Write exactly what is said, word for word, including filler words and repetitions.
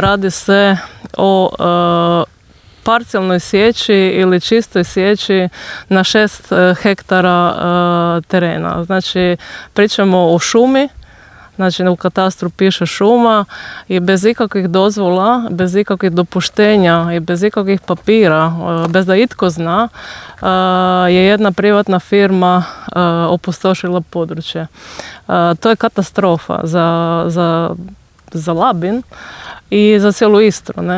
Radi se o e, parcijalnoj sječi ili čistoj sječi na šest hektara e, terena. Znači, pričamo o šumi, znači u katastru piše šuma i bez ikakvih dozvola, bez ikakvih dopuštenja i bez ikakvih papira, e, bez da itko zna, e, je jedna privatna firma e, opustošila područje. E, to je katastrofa za, za, za Labin i za cijelu Istru, ne?